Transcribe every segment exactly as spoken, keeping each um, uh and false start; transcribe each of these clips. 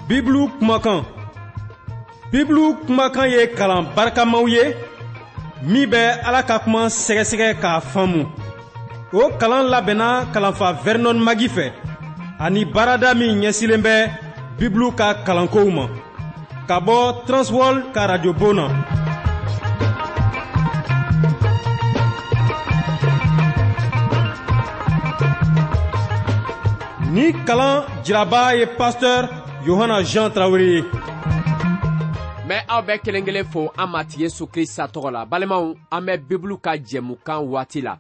Bibulu kumakan. Bibulu kumakan ye kalan barikamaw ye min bɛ Ala ka kuma sɛgɛsɛgɛ k'a faamu. O kalan labɛnna kalanfa Vernon Magi fɛ ani baarada min ɲɛsilen bɛ Bibulu ka kalankow ma ka bɔ Transworld ka radio bon na. Ni kalan jiraba ye pasteur Yohana Jean Traoré ye. N bɛ aw bɛɛ kelen kelen fo an Matigi Yesu Krista tɔgɔ la. Balimaw, an bɛ Bibulu ka jɛmukan waati la.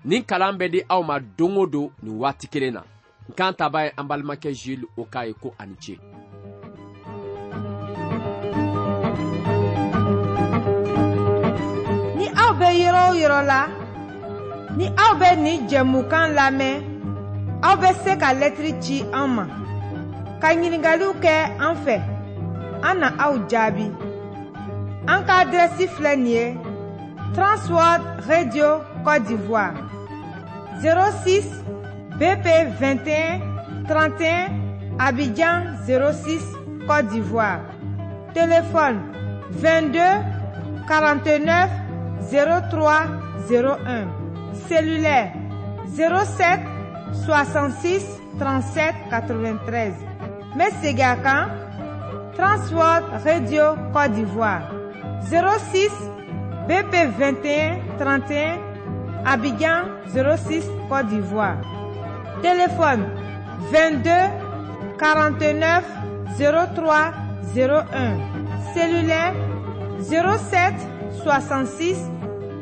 Nin kalan bɛ di aw ma don o don nin waati kelen na. N kan taba ye an balimakɛ Jules Oka ye ko ani ce. Ni aw bɛ yɔrɔ o yɔrɔ la, ni aw bɛ nin jɛmukan lamɛn, aw bɛ se ka lɛtiri ci an ma, ka ɲininkaliw kɛ an fɛ, an na aw jaabi. An ka adrɛsi filɛ nin ye: Transworld Radio Côte d'Ivoire, zéro six B P vingt et un trente et un, Abidjan zéro six Côte d'Ivoire. Téléphone vingt-deux quarante-neuf zéro trois zéro un. Cellulaire zéro sept soixante-six trente-sept quatre-vingt-treize. N bɛ segin a kan: Transworld Radio Côte d'Ivoire, zéro six B P vingt et un trente et un, Abidjan zéro six Côte d'Ivoire. Téléphone vingt-deux quarante-neuf zéro trois zéro un. Cellulaire zéro sept soixante-six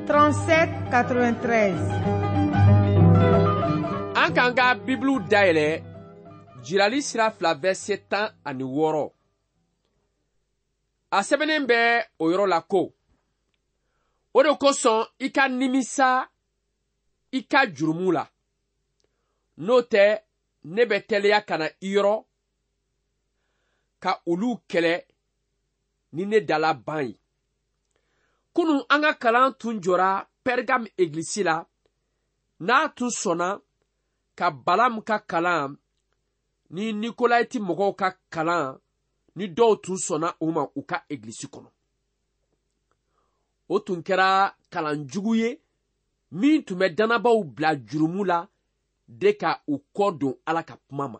trente-sept quatre-vingt-treize. An k'an ka Bibulu dayɛlɛ Jirali sira fila verset tan ani wɔɔrɔ. A sɛbɛnnen bɛ o yɔrɔ la ko: o de kosɔn i ka nimisa i ka jurumu la, n'o tɛ ne bɛ teliya ka na i yɔrɔ ka olu kɛlɛ ni ne dala ban ye. Kunun an ka kalan tun jɔra Pergame egilisi la, n'a tun sɔnna ka Balamu ka kalan ni Nikolayiti mɔgɔw ka kalan ni dɔw tun sɔnna o ma u ka egilisi kɔnɔ. O tun kɛra kalan jugu ye min tun bɛ dannabaw bila jurumu la de ka u kɔ don Ala ka kuma ma.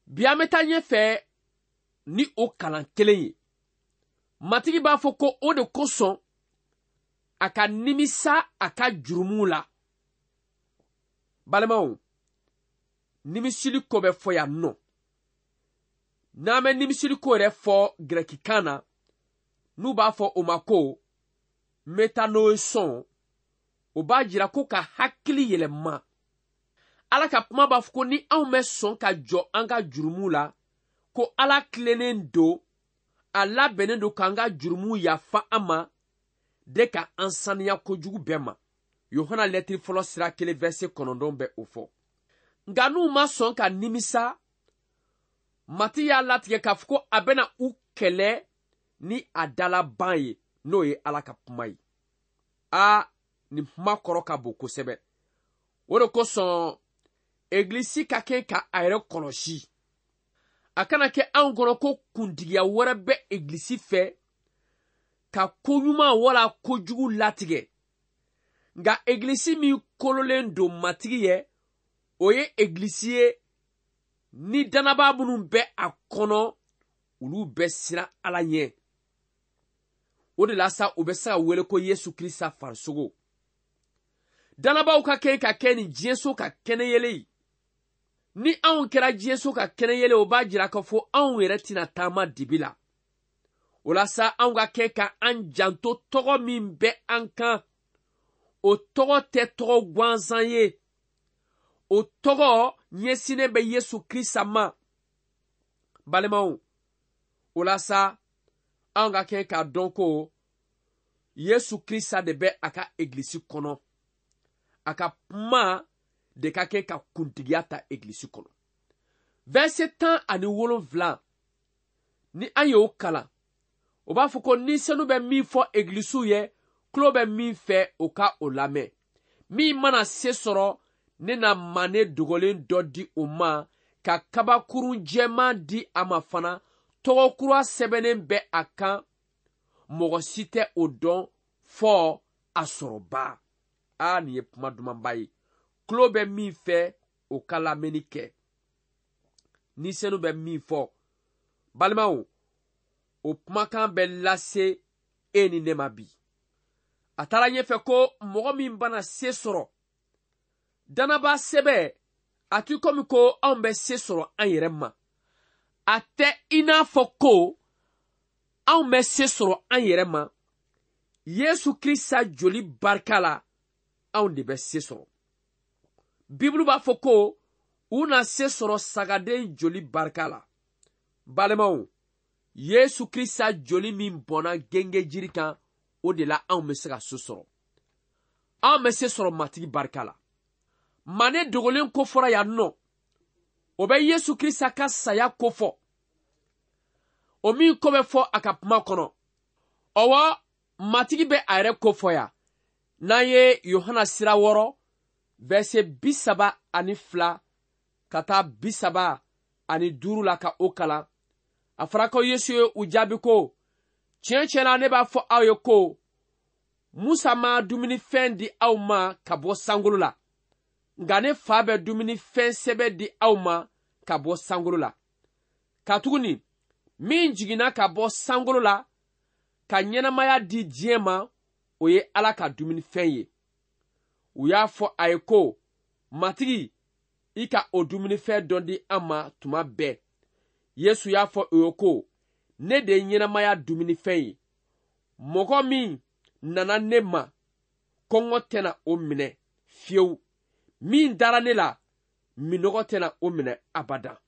Bi an bɛ taa ɲɛfɛ ni o kalan kelen ye. Matigi b'a fɔ ko o de kosɔn a ka nimisa a ka jurumu la. Balimaw, nimisili ko bɛ fɔ yan nɔ. N'an bɛ nimisili ko yɛrɛ fɔ gɛrɛkikan na, n'u b'a fɔ o ma ko metanoesɔn, o b'a jira ko ka hakili yɛlɛma. Ala ka kuma b'a fɔ ko ni anw bɛ sɔn ka jɔ an ka jurumu la, ko Ala tilennen don, a labɛnnen don k'an ka jurumu yafa an ma, de ka an saniya kojugu bɛɛ ma. Yohana lɛtiri fɔlɔ sira kelen verset kɔnɔntɔn bɛ o fɔ. Nka n'u ma sɔn ka nimisa, Matigi y'a latigɛ k'a fɔ ko a bɛna u kɛlɛ ni a dalaban ye, n'o ye Ala ka kuma ye. Aa, nin kuma kɔrɔ ka bon kosɛbɛ. O de kosɔn egilisi ka kɛ ka a yɛrɛ kɔlɔsi. A kana kɛ anw kɔnɔ ko kuntigiya wɛrɛ bɛ egilisi fɛ ka koɲuman wala kojugu latigɛ. Nka egilisi min kololen don Matigi ye, o ye egilisi ye ni dannabaa minnu bɛ a kɔnɔ, olu bɛ siran Ala ɲɛ. O de la sa u bɛ se ka wele ko Yesu Krista farisogo. Dannabaw ka kɛ ka kɛ nin diɲɛso ka kɛnɛyɛlɛ ye. Ni anw kɛra diɲɛso ka kɛnɛyɛlɛ, o b'a jira k'a fɔ anw yɛrɛ tɛna taama dibi la. O la sa anw ka kɛ ka an janto tɔgɔ min bɛ an kan, o tɔgɔ tɛ tɔgɔ gansan ye. O tɔgɔ ɲɛsinnen bɛ Yesu Krista ma. Balimaw, o la sa anw ka kɛ k'a dɔn ko Yesu Krista de bɛ a ka egilisi kɔnɔ. A ka kuma de ka kɛ ka kuntigiya ta egilisi kɔnɔ. Verset tan ani wolonwula, ni an y'o kalan, o b'a fɔ ko ni senu bɛ min fɔ egilisiw ye, tulo bɛ min fɛ o ka o lamɛn. Min mana se sɔrɔ, ne na mane dogolen dɔ di o ma ka kabakurun jɛman di a ma fana, tɔgɔ kura sɛbɛnnen bɛ a kan, mɔgɔ si tɛ o dɔn fɔ a sɔrɔba. A nin ye kuma dumanba ye. Tulo bɛ min fɛ, o ka lamɛnni kɛ. Ni senu bɛ min fɔ, balimaw, o kumakan bɛ lase e ni ne ma bi. A taara ɲɛfɛ ko mɔgɔ min bana se sɔrɔ, danaba sɛbɛ, a ti komi ko anw bɛ se sɔrɔ an yɛrɛ ma. A tɛ i n'a fɔ ko anw bɛ se sɔrɔ an yɛrɛ ma. Yesu Krista joli barika la, anw de bɛ se sɔrɔ. Bibulu b'a fɔ ko u na se sɔrɔ sagaden joli barika la. Balimaw, Yesu Krista joli min bɔnna gengejiri kan, o de la anw bɛ se ka se sɔrɔ. Anw bɛ se sɔrɔ Matigi barika la. Mane dogolen ko fɔra yan nɔ, o bɛ Yesu Krista ka saya ko fɔ. O min ko bɛ fɔ a ka kuma kɔnɔ. Ɔwɔ, Matigi bɛ a yɛrɛ ko fɔ yan. N'an ye Yohana sira wɔɔrɔ, verset bi saba ani fila ka taa bi saba ani duuru la ka o kalan. A fɔra ko Yesu ye u jaabi ko, tiɲɛ tiɲɛ na ne b'a fɔ aw ye ko, Musa ma dumunifɛn di aw ma ka bɔ sankolo la, nka ne fa bɛ dumunifɛn sɛbɛ di aw ma ka bɔ sankolo la. Katuguni min jiginna ka bɔ sankolo la ka ɲɛnamaya di diɲɛ ma, o ye Ala ka dumunifɛn ye. U y'a fɔ a ye ko, Matigi, i ka o dumunifɛn dɔ di an ma tuma bɛɛ. Yesu y'a fɔ u ye ko, ne de ye ɲɛnamaya dumunifɛn ye. Mɔgɔ min nana ne ma, kɔngɔ tɛna o minɛ fiyewu. Min dara ne la, minɔgɔ tɛna o minɛ abada.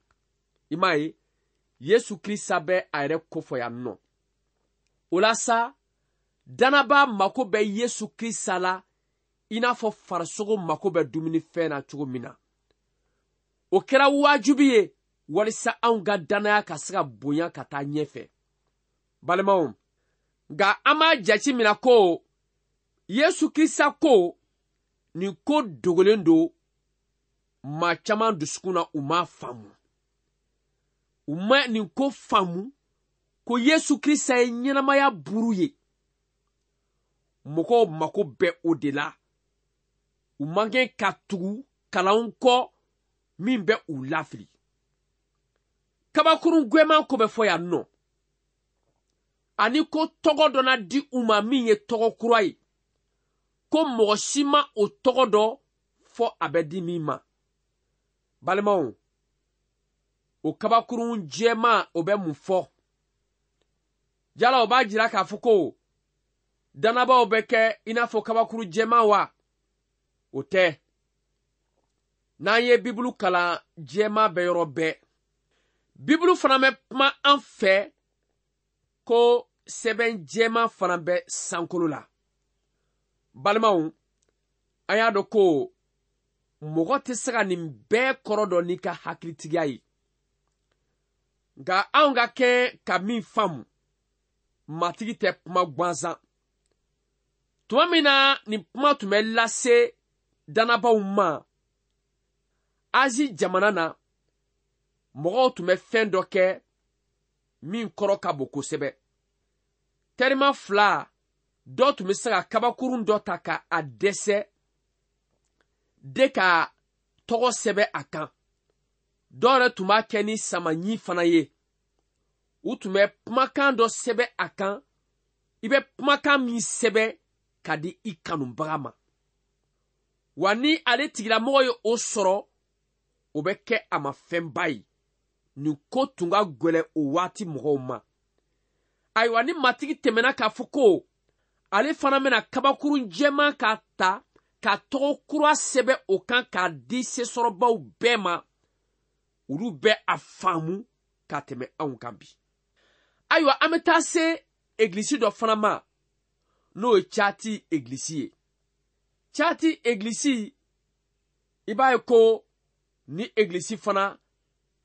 I m'a ye, Yesu Krista bɛ a yɛrɛ kofɔ yan nɔ. O la sa, danaba mako bɛ Yesu Krista la i n'a fɔ farisogo mako bɛ dumunifɛn na cogo min na. O kɛra wajibi ye walisa anw ka danaya ka se ka bonya ka taa ɲɛfɛ. Balimaw, nka an b'a jate minɛ ko Yesu Krista ko nin ko dogolen don maa caman dusukun na, u m'a faamu. U ma nin ko faamu ko Yesu Krista ye ɲɛnamaya buru ye. Mɔgɔw mako bɛ o de la. U man kɛ ka tugu kalanw kɔ min bɛ u lafili. Kabakurun gwɛman ko bɛ fɔ yan nɔ. Ani ko tɔgɔ dɔ na di u ma min ye tɔgɔ kura ye. Ko mɔgɔ si ma o tɔgɔ dɔ fɔ a bɛ di min ma. Balimaw, o kabakurun jɛman o bɛ mun fɔ? Jala o b'a jira k'a fɔ ko danabaaw bɛ kɛ i n'a fɔ kabakuru jɛman wa? O tɛ. N'an ye Bibulu kalan, jɛman bɛ yɔrɔ bɛɛ. Bibulu fana bɛ kuma an fɛ ko sɛbɛn jɛman fana bɛ sankolo la. Balimaw, an y'a dɔn ko mɔgɔ tɛ se ka nin bɛɛ kɔrɔ dɔn n'i ka hakilitigiya ye. Nka anw ka kɛ ka min faamu, Matigi tɛ kuma gansan. Tuma min na nin kuma tun bɛ lase danabaaw ma Azi jamana na, mɔgɔw tun bɛ fɛn dɔ kɛ min kɔrɔ ka bon kosɛbɛ. Terima fila, dɔ tun bɛ se ka kabakurun dɔ ta ka a dɛsɛ de ka tɔgɔ sɛbɛn a kan. Dɔw yɛrɛ tun b'a kɛ ni samaɲi fana ye. U tun bɛ kumakan dɔ sɛbɛn a kan. I bɛ kumakan min sɛbɛn ka di i kanubaga ma. Wa ni ale tigilamɔgɔ ye o sɔrɔ, o bɛ kɛ a ma fɛnba ye. Nin ko tun ka gɛlɛn o waati mɔgɔw ma. Ayiwa, ni Matigi tɛmɛna k'a fɔ ko ale fana bɛna kabakurun jɛman k'a ta ka tɔgɔ kura sɛbɛn o kan k'a di sesɔrɔbaw bɛɛ ma, olu bɛ a faamu ka tɛmɛ anw kan bi. Ayiwa, an bɛ taa se egilisi dɔ fana ma, n'o ye Cati egilisi ye. Cati egilisi, i b'a ye ko ni egilisi fana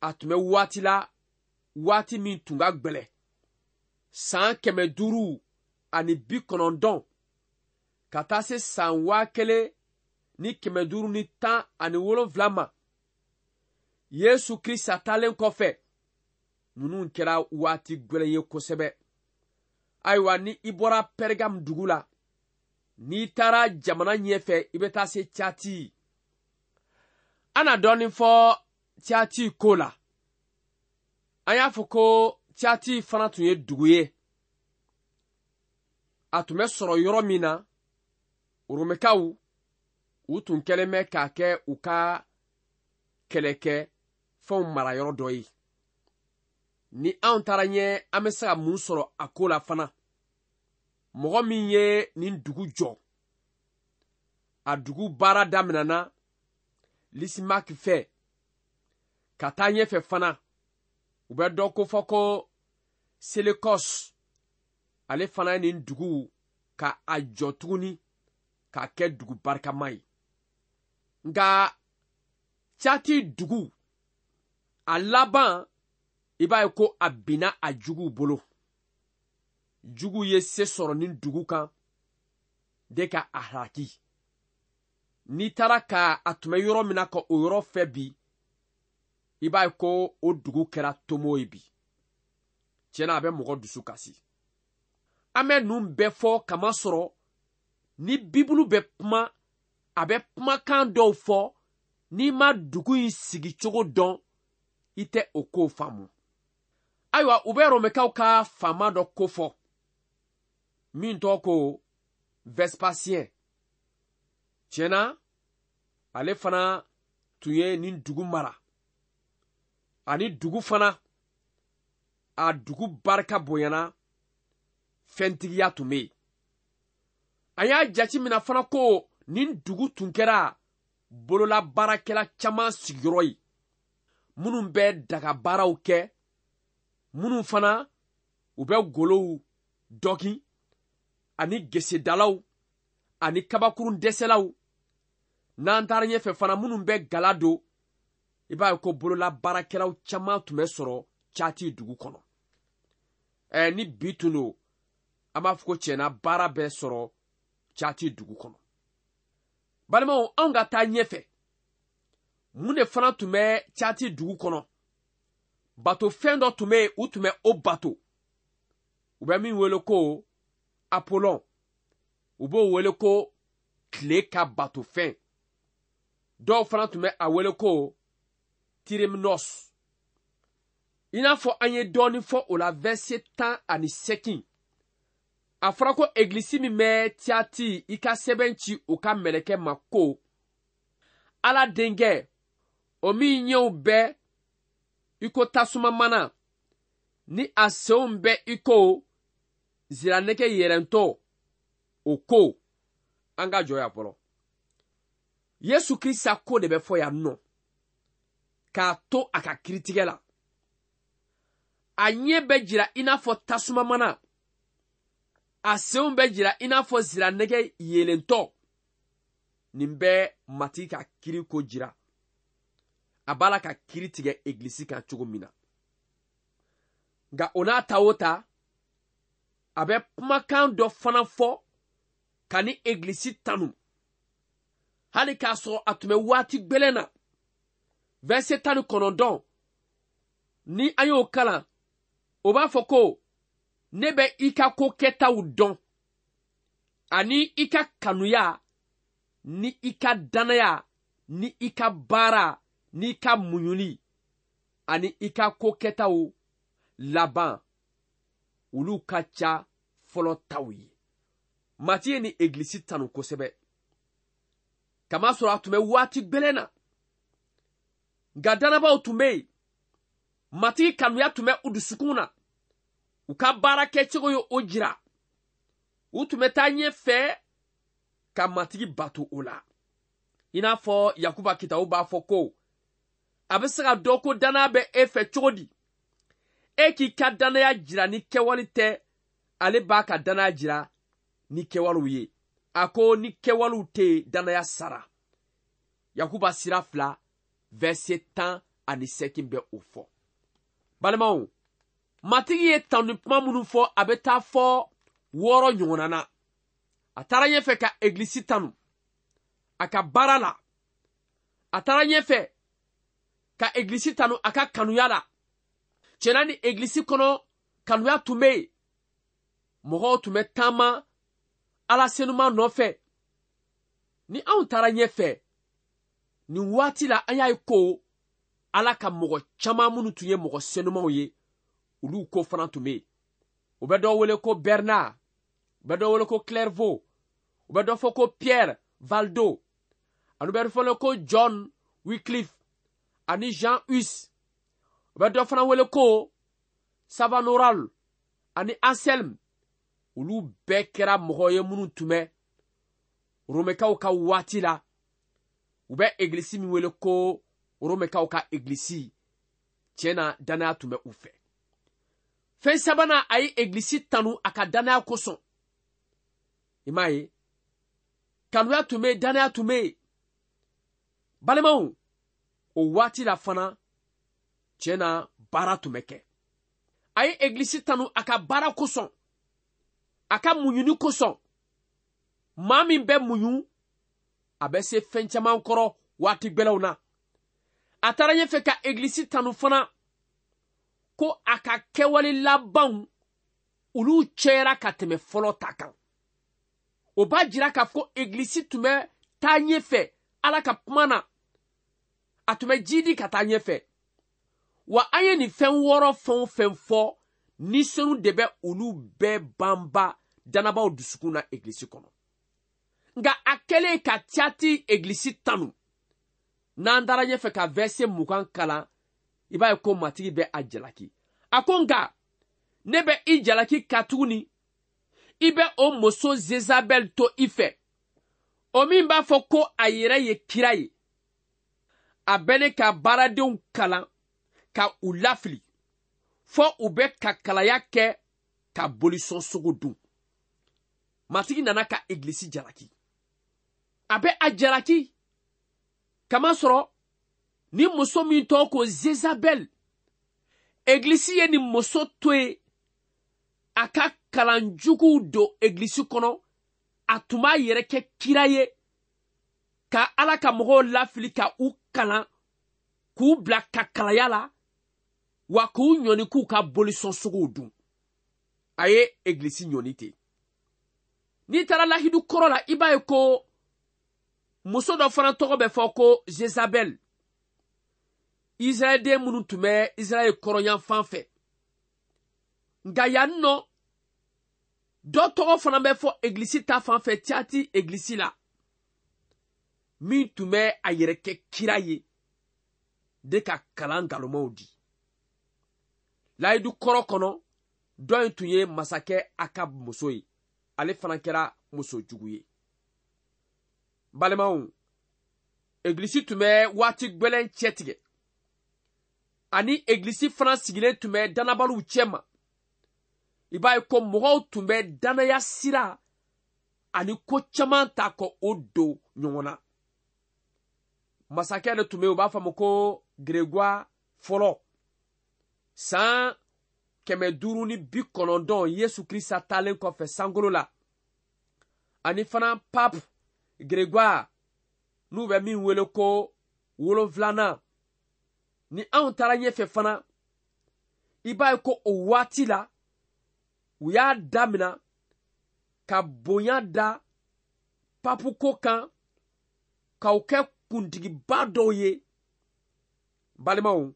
a tun bɛ waati la, waati min tun ka gɛlɛn. San kɛmɛ duuru ani bi kɔnɔntɔn ka taa se san waa kelen ni kɛmɛ duuru ni tan ani wolonwula ma. Yesu Krista taalen kɔfɛ, ninnu kɛra waati gwɛlɛn ye kosɛbɛ. Ayiwa, ni i bɔra Pɛrɛgam dugu la, n'i taara jamana ɲɛfɛ, i bɛ taa se Tiyati. An na dɔɔnin fɔ Tiyati ko la. An y'a fɔ ko Tiyati fana tun ye dugu ye. A tun bɛ sɔrɔ yɔrɔ min na, Romɛkaw u tun kɛlen bɛ k'a kɛ u ka kɛlɛkɛ fɛnw marayɔrɔ dɔ ye. Ni anw taara ɲɛ, an bɛ se ka mun sɔrɔ a ko la fana? Mɔgɔ min ye nin dugu jɔ, a dugu baara daminɛna Lisimaki fɛ ka taa ɲɛfɛ fana. U bɛ dɔ ko fɔ ko Selekɔs, ale fana ye nin dugu ka a jɔ tuguni k'a kɛ dugu barikama ye. Nka Tiyati dugu a laban, i b'a ye ko a binna a juguw bolo. Jugu ye se sɔrɔ nin dugu kan de ka a halaki. N'i taara ka a tun bɛ yɔrɔ min na ka o yɔrɔ fɛ bi, i b'a ye ko o dugu kɛra tomo ye bi. Tiɲɛna, a bɛ mɔgɔ dusu kasi. An bɛ ninnu bɛɛ fɔ kamasɔrɔ ni Bibulu bɛ kuma, a bɛ kumakan dɔw fɔ, n'i ma dugu in sigicogo dɔn, i tɛ o kow faamu. Ayiwa, u bɛ Romɛkaw ka faama dɔ ko fɔ min tɔgɔ ko Vespasien. Tiɲɛna, ale fana tun ye nin dugu mara. Ani dugu fana, a dugu barika bonyana, fɛntigiya tun bɛ yen. An y'a jateminɛ fana ko nin dugu tun kɛra bololabaarakɛla caman sigiyɔrɔ ye, minnu bɛ dagabaaraw kɛ, minnu fana u bɛ golow dɔkin, ani gesedalaw, ani kabakurun dɛsɛlaw. N'an taara ɲɛfɛ fana, minnu bɛ gala don, i b'a ye ko bololabaarakɛlaw caman tun bɛ sɔrɔ Tiyati dugu kɔnɔ. Ɛ ni bi tun don, an b'a fɔ ko tiɲɛna baara bɛ sɔrɔ Tiyati dugu kɔnɔ. Balimaw, anw ka taa ɲɛfɛ, mun de fana tun bɛ Tiyati dugu kɔnɔ? Bato fɛn dɔ tun bɛ yen, u tun bɛ o bato. U bɛ min wele ko Apollon, u b'o wele ko tile ka bato fɛn. Dɔw fana tun bɛ a wele ko Tireminos. I n'a fɔ an ye dɔɔnin fɔ o la verset tan ani seegin. A fɔra ko egilisi min bɛ Tiyati, i ka sɛbɛn ci u ka mɛlɛkɛ ma ko Ala denkɛ, o min ɲɛw bɛ i ko tasuma mana, ni a senw bɛ i ko ziranɛgɛ yɛrɛntɔ, o ko. An ka jɔ yan fɔlɔ. Yesu Krista ko de bɛ fɔ yan nɔ k'a to a ka kiritigɛ la. A ɲɛ bɛ jira i n'a fɔ tasuma mana, a senw bɛ jira i n'a fɔ ziranɛgɛ yeelentɔ. Nin bɛ Matigi ka kiri ko jira. A b'a la ka kiri tigɛ egilisi kan cogo min na. Nka o n'a ta o ta, a bɛ kumakan dɔ fana fɔ ka ni egilisi tanu. Hali k'a sɔrɔ a tun bɛ waati gwɛlɛn na. Verset tan ni kɔnɔntɔn, ni an y'o kalan, o b'a fɔ ko ne bɛ i ka ko kɛtaw dɔn, ani i ka kanuya, ni i ka danaya, ni i ka baara, ni i ka muɲuli, ani i ka ko kɛtaw laban, olu ka ca fɔlɔ taw ye. Matigi ye ni egilisi tanu kosɛbɛ, kamasɔrɔ a tun bɛ waati gwɛlɛn na. Nka danabaaw tun bɛ yen, Matigi kanuya tun bɛ u dusukun na. U ka baara kɛcogo ye o jira. U tun bɛ taa ɲɛfɛ ka Matigi bato o la. I n'a fɔ Yakuba kitabu b'a fɔ ko a bɛ se ka dɔn ko danaya bɛ e fɛ cogo di? E k'i ka danaya jira ni kɛwale tɛ, ale b'a ka danaya jira ni kɛwalew ye. A ko ni kɛwalew tɛ yen, danaya sara. Yakuba sira fila verset tan ani seegin bɛ o fɔ. Balimaw, Matigi ye tanu kuma minnu fɔ, a bɛ taa fɔ wɔɔrɔ ɲɔgɔnna na. A taara ɲɛfɛ ka egilisi tanu a ka baara la. A taara ɲɛfɛ ka egilisi tanu a ka kanuya la. Tiɲɛna ni egilisi kɔnɔ kanuya tun bɛ yen. Mɔgɔw tun bɛ taama Ala senuma nɔfɛ. Ni anw taara ɲɛfɛ, nin waati la an y'a ye ko Ala ka mɔgɔ caman minnu tun ye mɔgɔ senumaw ye, olu ko fana tun bɛ yen. U bɛ dɔ wele ko Bernard, u bɛ dɔ wele ko Clairvaux, u bɛ dɔ fɔ ko Pierre Valdo, ani u bɛ dɔ fɔ ko John Wycliffe ani Jean Hus. U bɛ dɔ fana wele ko Savanoral ani Anselme. Olu bɛɛ kɛra mɔgɔ ye minnu tun bɛ Romɛkaw ka waati la. U bɛ egilisi min wele ko Romɛkaw ka egilisi. Tiɲɛ na, danaya tun bɛ u fɛ. Fɛn sabanan, a ye egilisi tanu a ka danaya kosɔn. I m'a ye, kanuya tun bɛ yen, danaya tun bɛ yen. Balimaw, o waati la fana, tiɲɛ na, baara tun bɛ kɛ. A ye egilisi tanu a ka baara kosɔn, a ka muɲuni kosɔn. Maa min bɛ muɲu, a bɛ se fɛn caman kɔrɔ waati gbɛlɛw na. A taara ɲɛfɛ ka egilisi tanu fana ko a ka kɛwale labanw olu cɛyara ka tɛmɛ fɔlɔ ta kan. O b'a jira k'a fɔ egilisi tun bɛ taa ɲɛfɛ Ala ka kuma na. A tun bɛ jidi ka taa ɲɛfɛ. Wa an ye nin fɛn wɔɔrɔ fɛn o fɛn fɔ, ni senu de bɛ olu bɛɛ banba danabaaw dusukun na egilisi kɔnɔ. Nka a kɛlen ka Tiyati egilisi tanu, n'an taara ɲɛfɛ ka verset mugan kalan, i b'a ye ko Matigi bɛ a jalaki. A ko nka ne bɛ i jalaki katuguni i bɛ o muso Zezabɛl to i fɛ, o min b'a fɔ ko a yɛrɛ ye kira ye. A bɛ ne ka baaradenw kalan ka u lafili, fɔ u bɛ ka kalaya kɛ ka bolisɔn sogo dun. Matigi nana ka egilisi jalaki. A bɛ a jalaki kamasɔrɔ ni muso min tɔgɔ ko Zezabɛl, egilisi ye nin muso to yen a ka kalan juguw don egilisi kɔnɔ. A tun b'a yɛrɛ kɛ kira ye ka Ala ka mɔgɔw lafili, ka u kalan, k'u bila ka kalaya la, wa k'u ɲɔni k'u ka bolisɔn sogow dun. A ye egilisi ɲɔni ten. N'i taara lahidu kɔrɔ la, i b'a ye ko muso dɔ fana tɔgɔ bɛ fɔ ko Zezabɛl. Israɛlden minnu tun bɛ Israɛl kɔrɔnyanfan fɛ. Nka yan nɔ, dɔ tɔgɔ fana bɛ fɔ egilisi ta fan fɛ, Tiyati egilisi la, min tun bɛ a yɛrɛ kɛ kira ye de ka kalan nkalonmaw di. Layidu kɔrɔ kɔnɔ, dɔ in tun ye masakɛ Akab muso ye. Ale fana kɛra muso jugu ye. Balimaw, egilisi tun bɛ waati gbɛlɛn cɛtigɛ, ani egilisi fana sigilen tun bɛ danabaliw cɛma. I b'a ye ko mɔgɔw tun bɛ danaya sira ani ko caman ta ka o don ɲɔgɔn na. Masakɛ de tun bɛ yen, u b'a fɔ a ma ko Grégoire fɔlɔ. San kɛmɛ duuru ni bi kɔnɔntɔn Yesu Kirisa taalen kɔfɛ sankolo la, ani fana Pape Grégoire n'u bɛ min wele ko wolonfilanan. Ni anw taara ɲɛfɛ fana, i b'a ye ko o waati la u y'a damina ka bonya da papu ko kan, k'aw kɛ kuntigiba dɔw ye. Balimaw,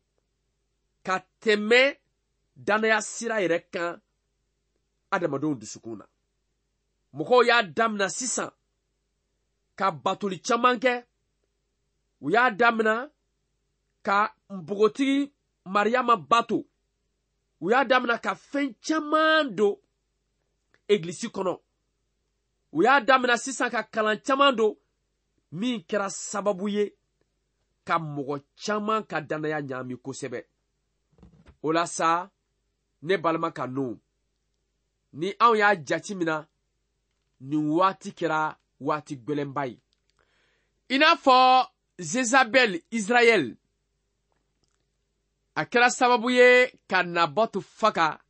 ka tɛmɛ danaya sira yɛrɛ kan adamadenw dusukun na. Mɔgɔw y'a damina sisan ka batoli caman kɛ. U y'a damina ka npogotigi Mariyama bato. U y'a damina ka fɛn caman don egilisi kɔnɔ. U y'a damina sisan ka kalan caman don min kɛra sababu ye ka mɔgɔ caman ka danaya ɲaami kosɛbɛ. O la sa, ne balima ka nɔ, ni anw y'a jate mina, nin waati kɛra waati gbɛlɛnba ye. I n'a fɔ Zezabɛl Israɛl, a kɛra sababu ye ka Nabɔtu faga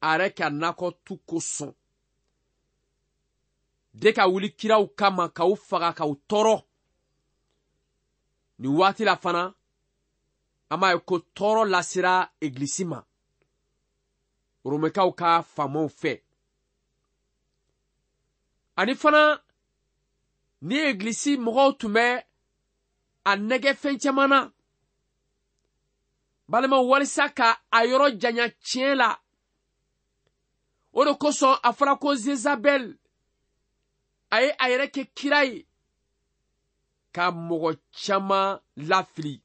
a yɛrɛ ka nakɔtu kosɔn, de ka wuli kiraw kama k'u faga k'u tɔɔrɔ. Nin waati la fana, An b'a ye ko tɔɔrɔ lasera egilisi ma Romɛkaw ka faamaw fɛ. Ani fana ni egilisi mɔgɔw tun bɛ a nɛgɛ fɛn caman na. Balimaw, walisa ka a yɔrɔ janya tiɲɛ la. O de kosɔn a fɔra ko Zezabɛl a ye a yɛrɛ kɛ kira ye ka mɔgɔ caman lafili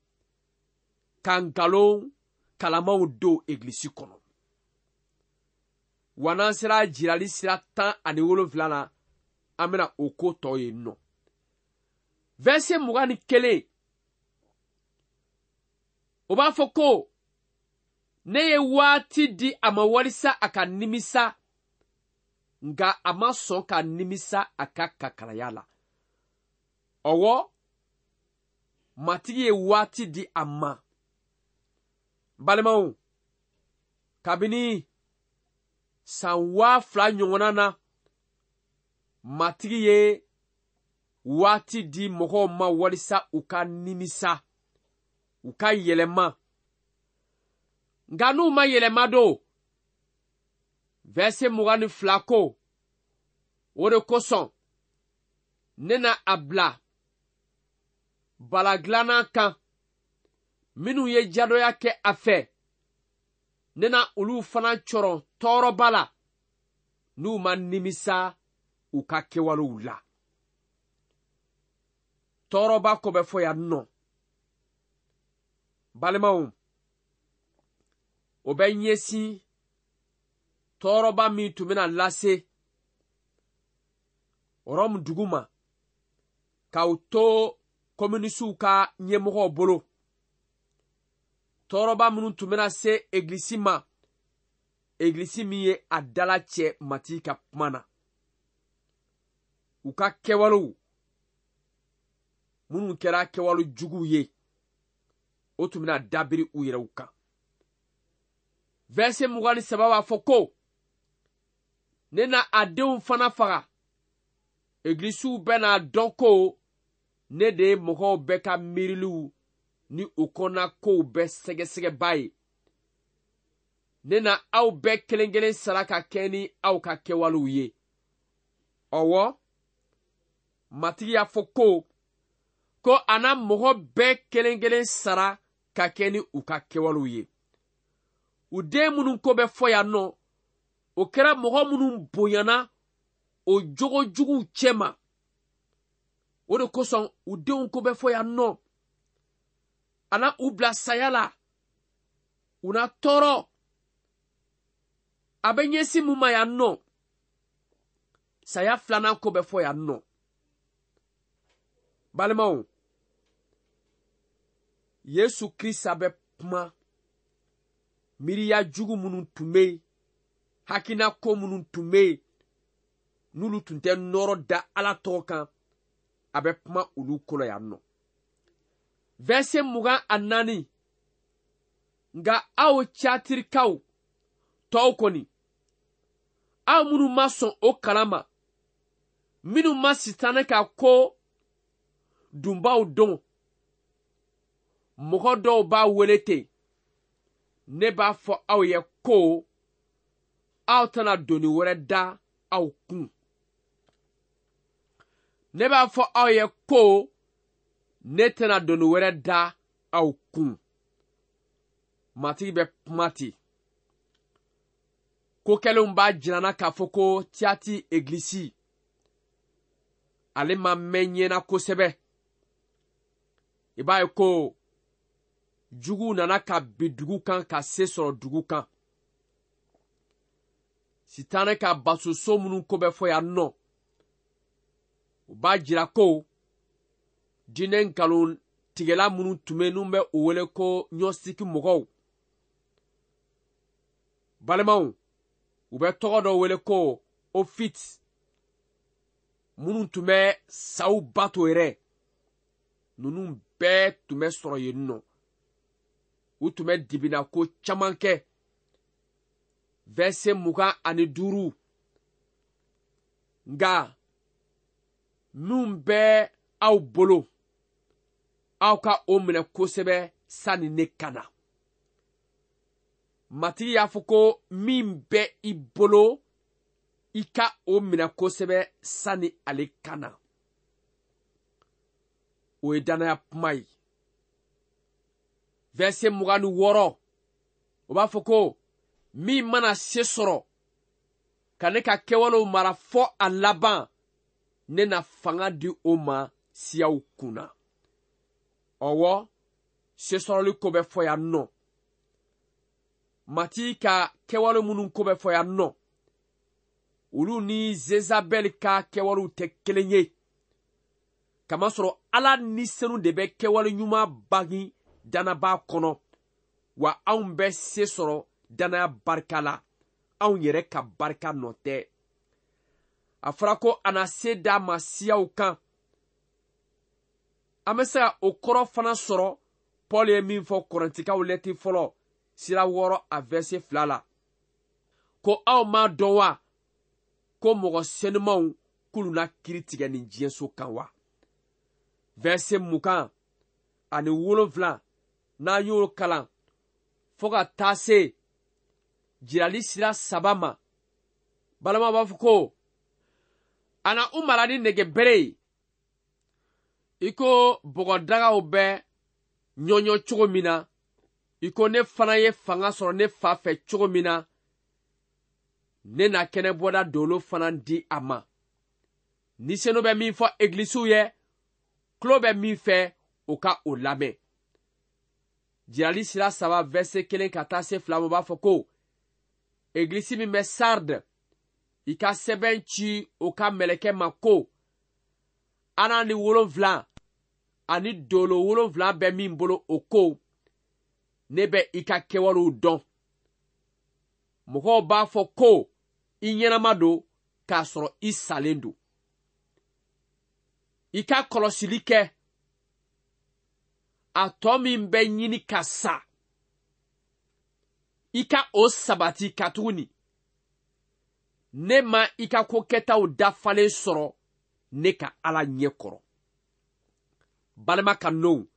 ka nkalon kalamaw don egilisi kɔnɔ. Wa n'an sera jirali sira tan ani wolonfila la, an bɛna o ko tɔ ye nɔ. Verset mugan ni kelen, o b'a fɔ ko ne ye waati di a ma walisa a ka nimisa, nka a ma sɔn ka nimisa a ka kakalaya la. Ɔwɔ, Matigi ye waati di a ma. Balimaw, kabini san waa fila ɲɔgɔnna na, Matigi ye waati di mɔgɔw ma walisa u ka nimisa, u ka yɛlɛma. Nka n'u ma yɛlɛma don, verset mugan ni fila ko, o de kosɔn ne na a bila balagilanna kan minnu ye jadɔya kɛ a fɛ, ne na olu fana cɔrɔn tɔɔrɔba la n'u ma nimisa u ka kɛwalew la. Tɔɔrɔba ko bɛ fɔ yan nɔ. Balimaw, o bɛ ɲɛsin tɔɔrɔba min tun bɛna lase Rɔmu dugu ma k'aw to kominisiw ka ɲɛmɔgɔw bolo. Tɔɔrɔba minnu tun bɛna se egilisi ma, egilisi min ye a dala cɛ Matigi ka kuma na. U ka kɛwalew minnu kɛra kɛwale juguw ye, o tun bɛna dabiri u yɛrɛw kan. Verset mugan ni saba b'a fɔ ko ne na a denw fana faga. Egilisiw bɛna dɔn ko ne de ye mɔgɔw bɛɛ ka miiriliw ni u kɔnɔna kow bɛɛ sɛgɛsɛgɛbaa ye. Ne na aw bɛɛ kelen kelen sara ka kɛ ni aw ka kɛwalew ye. Ɔwɔ, Matigi y'a fɔ ko ko a na mɔgɔ bɛɛ kelen kelen sara ka kɛ ni u ka kɛwalew ye. U den minnu ko bɛ fɔ yan nɔ, o kɛra mɔgɔ minnu bonyana o jogo juguw cɛma. O de kosɔn u denw ko bɛ fɔ yan nɔ. A na u bila saya la, u na tɔɔrɔ. A bɛ ɲɛsin mun ma yan nɔ? Saya filanan ko bɛ fɔ yan nɔ. Balimaw, Yesu Krista bɛ kuma miiriya jugu minnu tun bɛ yen, hakilina ko minnu tun bɛ yen, n'olu tun tɛ nɔrɔ da Ala tɔgɔ kan, a bɛ kuma olu ko la yan nɔ. Verset mugan ani naani, nka aw Tiyatirikaw tɔw kɔni, aw minnu ma sɔn o kalan ma, minnu ma Sitanɛ ka ko dunbaw dɔn, mɔgɔ dɔw b'a wele ten, ne b'a fɔ aw ye ko aw tɛna doni wɛrɛ da aw kun. Ne b'a fɔ aw ye ko ne tɛna doni wɛrɛ da aw kun. Matigi bɛ kuma ten. Ko kɛlenw b'a jira n na k'a fɔ ko Tiyati egilisi ale ma mɛn ɲɛna kosɛbɛ. I b'a ye ko juguw nana ka bin dugu kan ka se sɔrɔ dugu kan. Sitanɛ ka basoso minnu ko bɛ fɔ yan nɔ, o b'a jira ko diinɛ nkalon tigɛla minnu tun bɛ n'u bɛ o wele ko ɲɔsiki mɔgɔw. Balimaw, u bɛ tɔgɔ dɔ wele ko Ofit, minnu tun bɛ saw bato yɛrɛ, ninnu bɛɛ tun bɛ sɔrɔ yen nɔ. U tun bɛ dibina ko caman kɛ. Verset mugan ani duuru, nka minnu bɛ aw bolo, aw ka o minɛ kosɛbɛ sani ne ka na. Matigi y'a fɔ ko min bɛ i bolo, i ka o minɛ kosɛbɛ sani ale ka na. O ye danaya kuma ye. Verset mugan ni wɔɔrɔ, o b'a fɔ ko min mana se sɔrɔ ka ne ka kɛwalew mara fɔ a laban, ne na fanga di o ma siyaw kunna. Ɔwɔ, sesɔrɔli ko bɛ fɔ yan nɔ. Matigi ka kɛwale minnu ko bɛ fɔ yan nɔ, olu ni Zezabɛli ka kɛwalew tɛ kelen ye. Kamasɔrɔ Ala ni senu de bɛ kɛwale ɲuman bange danabaa kɔnɔ, wa anw bɛ se sɔrɔ danaya barika la, anw yɛrɛ ka barika nɔ tɛ. A fɔra ko a na se d'a ma siyaw kan. An bɛ se ka o kɔrɔ fana sɔrɔ Paul ye min fɔ Kɔrɛntikaw lɛti fɔlɔ sira wɔɔrɔ a verset fila la, ko aw m'a dɔn wa ko mɔgɔ senumanw k'olu na kiiri tigɛ nin diɲɛso kan wa? Verset mugan ani wolonfila, n'an y'o kalan fo ka taa se jirali sira saba ma, balima b'a fɔ ko a na u mara ni nɛgɛbere ye, i ko bɔgɔdagaw bɛ ɲɔɲɔ cogo min na, i ko ne fana ye fanga sɔrɔ ne fa fɛ cogo min na, ne na kɛnɛbɔda dolo fana di a ma. Ni senu bɛ min fɔ egilisiw ye, tulo bɛ min fɛ, o ka o lamɛn. Jirali sira saba verset kelen ka taa se fila ma, o b'a fɔ ko egilisi min bɛ Sardes, i ka sɛbɛn ci o ka mɛlɛkɛ ma ko ana ni wolonfila ani dolo wolonfila bɛ min bolo, o ko ne bɛ i ka kɛwalew dɔn. Mɔgɔw b'a fɔ ko i ɲɛnama don k'a sɔrɔ i salen don. I ka kɔlɔsili kɛ, a tɔ min bɛ ɲini ka sa, i ka o sabati katuguni ne ma i ka ko kɛtaw dafalen sɔrɔ ne ka Ala ɲɛ kɔrɔ. Balima kanunw,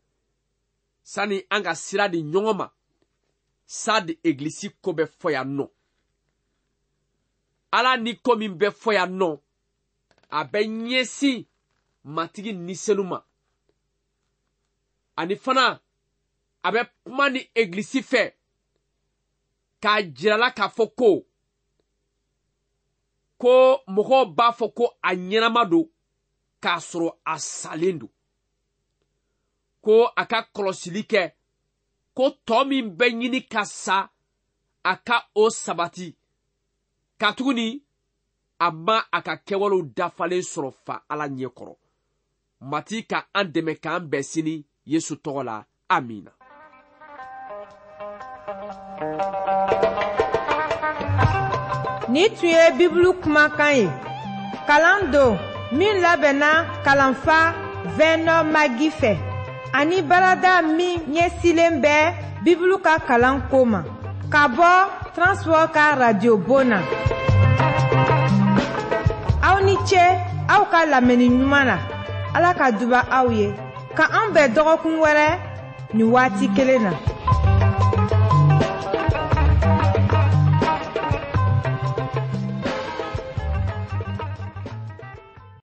sani an ka sira di ɲɔgɔn ma, Sardes egilisi ko bɛ fɔ yan nɔ. Ala ni ko min bɛ fɔ yan nɔ, a bɛ ɲɛsin Matigi ni senu ma. Ani fana a bɛ kuma ni egilisi fɛ k'a jirala k'a fɔ ko ko mɔgɔw b'a fɔ ko a ɲɛnama don k'a sɔrɔ a salen don, ko a ka kɔlɔsili kɛ, ko tɔ min bɛ ɲini ka sa, a ka o sabati, katuguni a ma a ka kɛwalew dafalen sɔrɔ fa Ala ɲɛ kɔrɔ. Matigi ka an dɛmɛ k'an bɛn sini Yesu tɔgɔ la, amina. Ni tun ye Bibulu kumakan ye, kalan don min labɛnna kalanfa Vɛnɔ Magi fɛ, ani baarada min ɲɛsilen bɛ Bibulu ka kalan ko ma, ka bɔ Transworld ka radio bon na. Aw ni ce aw ka lamɛnni ɲuman na. Ala ka duba aw ye. Ka an bɛn dɔgɔkun wɛrɛ nin waati kelen na.